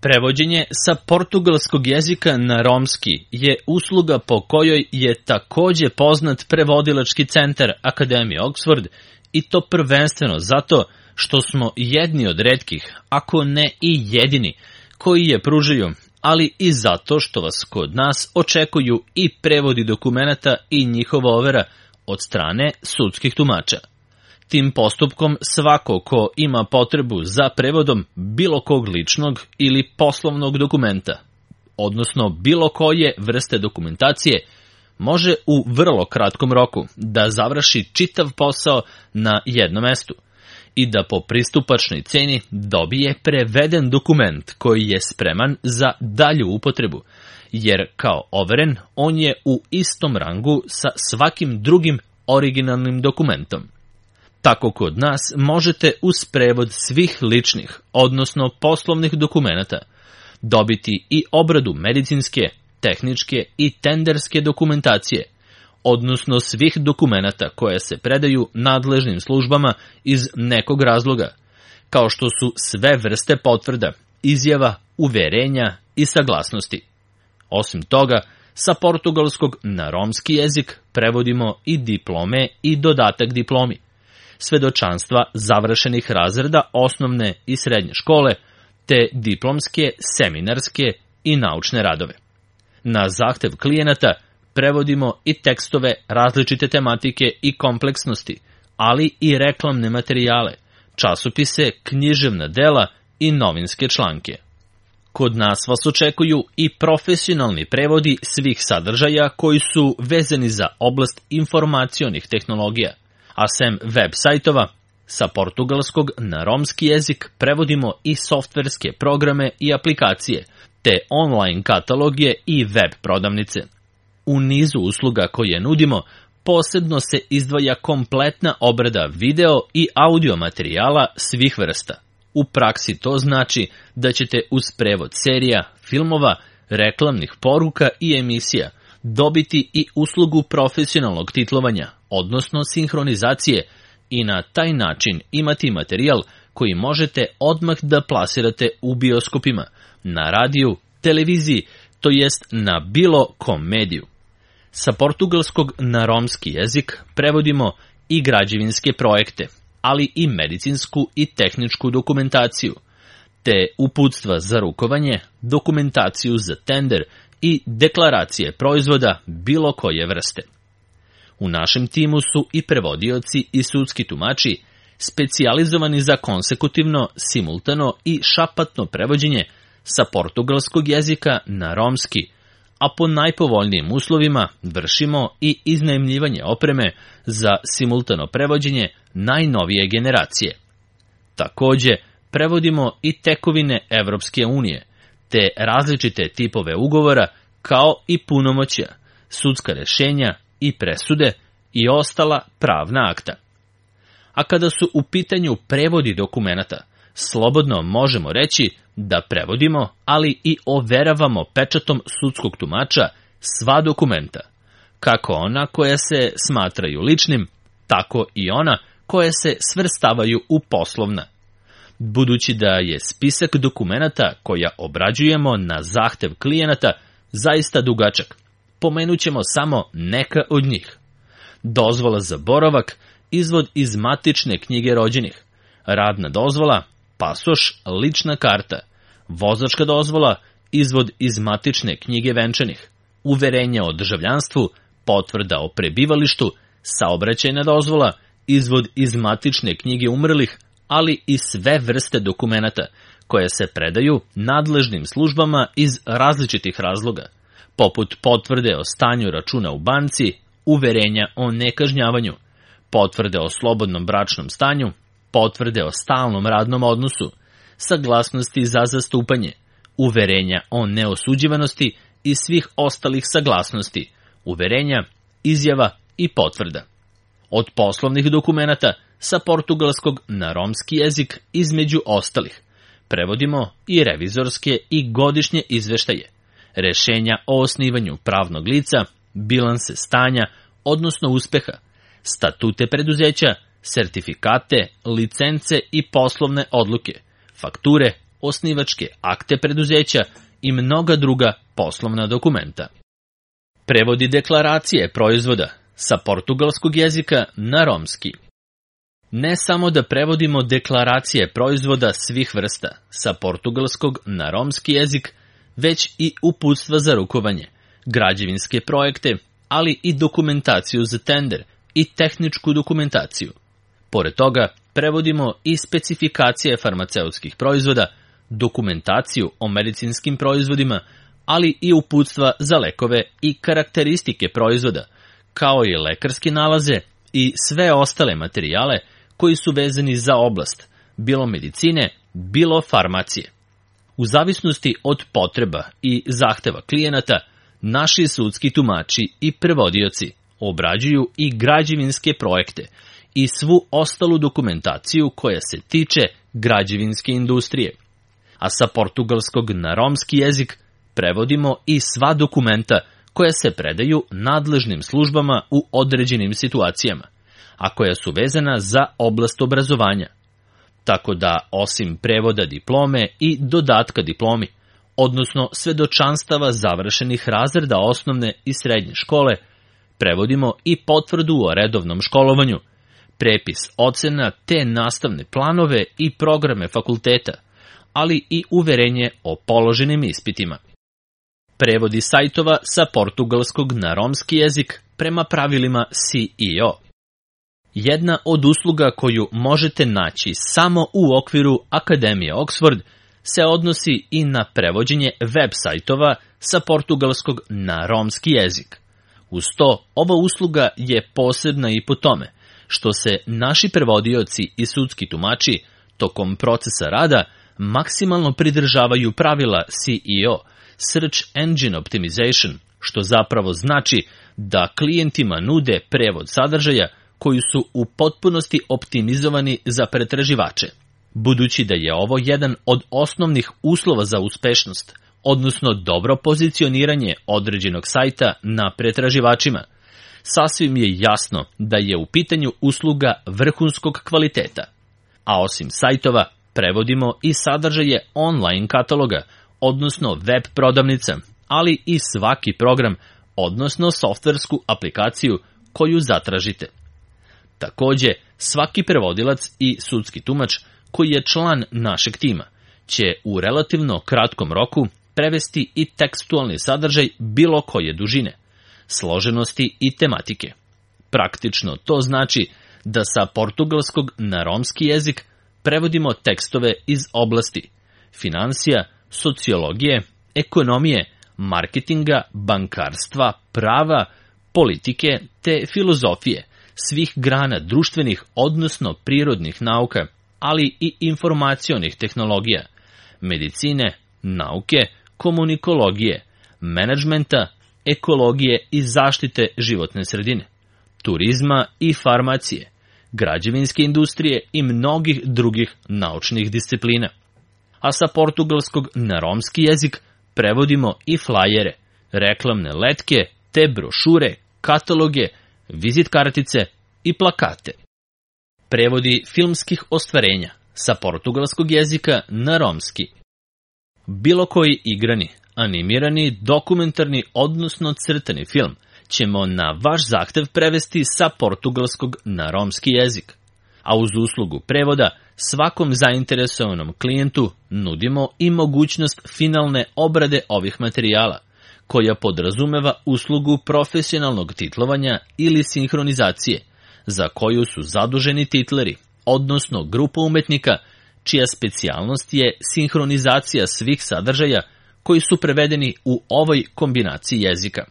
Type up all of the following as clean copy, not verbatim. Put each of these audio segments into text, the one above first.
Prevođenje sa portugalskog jezika na romski je usluga po kojoj je takođe poznat prevodilački centar Akademije Oxford, i to prvenstveno zato što smo jedni od retkih, ako ne i jedini, koji je pružaju, ali i zato što vas kod nas očekuju i prevodi dokumenata i njihova overa od strane sudskih tumača. Tim postupkom svako ko ima potrebu za prevodom bilo kog ličnog ili poslovnog dokumenta, odnosno bilo koje vrste dokumentacije, može u vrlo kratkom roku da završi čitav posao na jednom mestu i da po pristupačnoj ceni dobije preveden dokument koji je spreman za dalju upotrebu, jer kao overen on je u istom rangu sa svakim drugim originalnim dokumentom. Tako kod nas možete uz prevod svih ličnih, odnosno poslovnih dokumenata, dobiti i obradu medicinske, tehničke i tenderske dokumentacije, odnosno svih dokumenata koje se predaju nadležnim službama iz nekog razloga, kao što su sve vrste potvrda, izjava, uverenja i saglasnosti. Osim toga, sa portugalskog na romski jezik prevodimo i diplome i dodatak diplomi, svedočanstva završenih razreda osnovne i srednje škole, te diplomske, seminarske i naučne radove. Na zahtev klijenata prevodimo i tekstove različite tematike i kompleksnosti, ali i reklamne materijale, časopise, književna dela i novinske članke. Kod nas vas očekuju i profesionalni prevodi svih sadržaja koji su vezani za oblast informacionih tehnologija, a sem web sajtova, sa portugalskog na romski jezik prevodimo i softverske programe i aplikacije, te online kataloge i web prodavnice. U nizu usluga koje nudimo, posebno se izdvaja kompletna obrada video i audio materijala svih vrsta. U praksi to znači da ćete uz prevod serija, filmova, reklamnih poruka i emisija dobiti i uslugu profesionalnog titlovanja, odnosno sinhronizacije, i na taj način imati materijal koji možete odmah da plasirate u bioskopima, na radiju, televiziji, to jest na bilo kom mediju. Sa portugalskog na romski jezik prevodimo i građevinske projekte, ali i medicinsku i tehničku dokumentaciju, te uputstva za rukovanje, dokumentaciju za tender i deklaracije proizvoda bilo koje vrste. U našem timu su i prevodioci i sudski tumači, specijalizovani za konsekutivno, simultano i šapatno prevođenje sa portugalskog jezika na romski, a po najpovoljnijim uslovima vršimo i iznajmljivanje opreme za simultano prevođenje najnovije generacije. Takođe, prevodimo i tekovine Evropske unije, te različite tipove ugovora, kao i punomoćja, sudska rešenja i presude i ostala pravna akta. A kada su u pitanju prevodi dokumenata, slobodno možemo reći da prevodimo, ali i overavamo pečatom sudskog tumača sva dokumenta, kako ona koja se smatraju ličnim, tako i ona koje se svrstavaju u poslovna. Budući da je spisak dokumenata koja obrađujemo na zahtev klijenata zaista dugačak, pomenut ćemo samo neka od njih. Dozvola za boravak, izvod iz matične knjige rođenih, radna dozvola, pasoš, lična karta, vozačka dozvola, izvod iz matične knjige venčanih, uverenje o državljanstvu, potvrda o prebivalištu, saobraćajna dozvola, izvod iz matične knjige umrlih, ali i sve vrste dokumenata koje se predaju nadležnim službama iz različitih razloga, poput potvrde o stanju računa u banci, uverenja o nekažnjavanju, potvrde o slobodnom bračnom stanju, potvrde o stalnom radnom odnosu, saglasnosti za zastupanje, uverenja o neosuđivanosti i svih ostalih saglasnosti, uverenja, izjava i potvrda. Od poslovnih dokumenata sa portugalskog na romski jezik između ostalih prevodimo i revizorske i godišnje izveštaje, rešenja o osnivanju pravnog lica, bilanse stanja, odnosno uspeha, statute preduzeća, sertifikate, licence i poslovne odluke, fakture, osnivačke akte preduzeća i mnoga druga poslovna dokumenta. Prevodi deklaracije proizvoda sa portugalskog jezika na romski. Ne samo da prevodimo deklaracije proizvoda svih vrsta sa portugalskog na romski jezik, već i uputstva za rukovanje, građevinske projekte, ali i dokumentaciju za tender i tehničku dokumentaciju. Pored toga, prevodimo i specifikacije farmaceutskih proizvoda, dokumentaciju o medicinskim proizvodima, ali i uputstva za lekove i karakteristike proizvoda, kao i lekarske nalaze i sve ostale materijale koji su vezani za oblast, bilo medicine, bilo farmacije. U zavisnosti od potreba i zahteva klijenata, naši sudski tumači i prevodioci obrađuju i građevinske projekte i svu ostalu dokumentaciju koja se tiče građevinske industrije. A sa portugalskog na romski jezik prevodimo i sva dokumenta koja se predaju nadležnim službama u određenim situacijama, a koja su vezana za oblast obrazovanja. Tako da, osim prevoda diplome i dodatka diplomi, odnosno svedočanstava završenih razreda osnovne i srednje škole, prevodimo i potvrdu o redovnom školovanju, prepis ocena te nastavne planove i programe fakulteta, ali i uverenje o položenim ispitima. Prevodi sajtova sa portugalskog na romski jezik prema pravilima CEO. Jedna od usluga koju možete naći samo u okviru Akademije Oxford se odnosi i na prevođenje web sajtova sa portugalskog na romski jezik. Uz to, ova usluga je posebna i po tome što se naši prevodioci i sudski tumači tokom procesa rada maksimalno pridržavaju pravila CEO, Search Engine Optimization, što zapravo znači da klijentima nude prevod sadržaja koji su u potpunosti optimizovani za pretraživače. Budući da je ovo jedan od osnovnih uslova za uspešnost, odnosno dobro pozicioniranje određenog sajta na pretraživačima, sasvim je jasno da je u pitanju usluga vrhunskog kvaliteta. A osim sajtova, prevodimo i sadržaje online kataloga, odnosno web prodavnica, ali i svaki program, odnosno softversku aplikaciju koju zatražite. Takođe, svaki prevodilac i sudski tumač koji je član našeg tima će u relativno kratkom roku prevesti i tekstualni sadržaj bilo koje dužine, složenosti i tematike. Praktično to znači da sa portugalskog na romski jezik prevodimo tekstove iz oblasti finansija, sociologije, ekonomije, marketinga, bankarstva, prava, politike te filozofije, svih grana društvenih, odnosno prirodnih nauka, ali i informacionih tehnologija, medicine, nauke, komunikologije, menadžmenta, ekologije i zaštite životne sredine, turizma i farmacije, građevinske industrije i mnogih drugih naučnih disciplina. A sa portugalskog na romski jezik prevodimo i flajere, reklamne letke, te brošure, kataloge, vizit kartice i plakate. Prevodi filmskih ostvarenja sa portugalskog jezika na romski. Bilo koji igrani, animirani, dokumentarni, odnosno crtani film ćemo na vaš zahtev prevesti sa portugalskog na romski jezik. A uz uslugu prevoda svakom zainteresovanom klijentu nudimo i mogućnost finalne obrade ovih materijala, koja podrazumeva uslugu profesionalnog titlovanja ili sinhronizacije, za koju su zaduženi titleri, odnosno grupa umetnika, čija specijalnost je sinhronizacija svih sadržaja koji su prevedeni u ovoj kombinaciji jezika.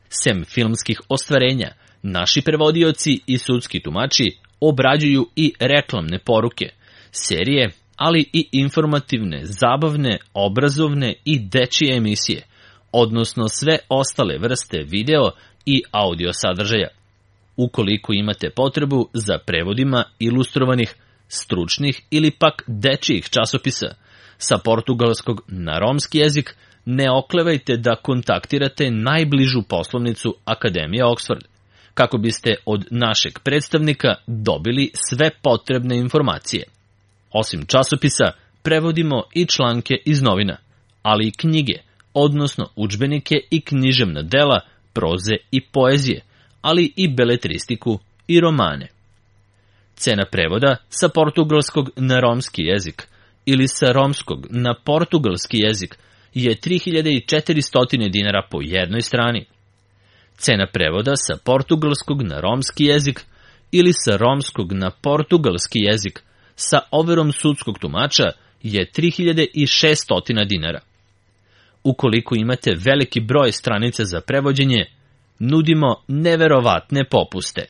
Sem filmskih ostvarenja, naši prevodioci i sudski tumači obrađuju i reklamne poruke, serije, ali i informativne, zabavne, obrazovne i dečije emisije, odnosno sve ostale vrste video i audio sadržaja. Ukoliko imate potrebu za prevodima ilustrovanih, stručnih ili pak dečijih časopisa sa portugalskog na romski jezik, ne oklevajte da kontaktirate najbližu poslovnicu Akademije Oxford, kako biste od našeg predstavnika dobili sve potrebne informacije. Osim časopisa, prevodimo i članke iz novina, ali i knjige, odnosno udžbenike i književna dela, proze i poezije, ali i beletristiku i romane. Cena prevoda sa portugalskog na romski jezik ili sa romskog na portugalski jezik je 3400 dinara po jednoj strani. Cena prevoda sa portugalskog na romski jezik ili sa romskog na portugalski jezik sa overom sudskog tumača je 3600 dinara. Ukoliko imate veliki broj stranica za prevođenje, nudimo neverovatne popuste.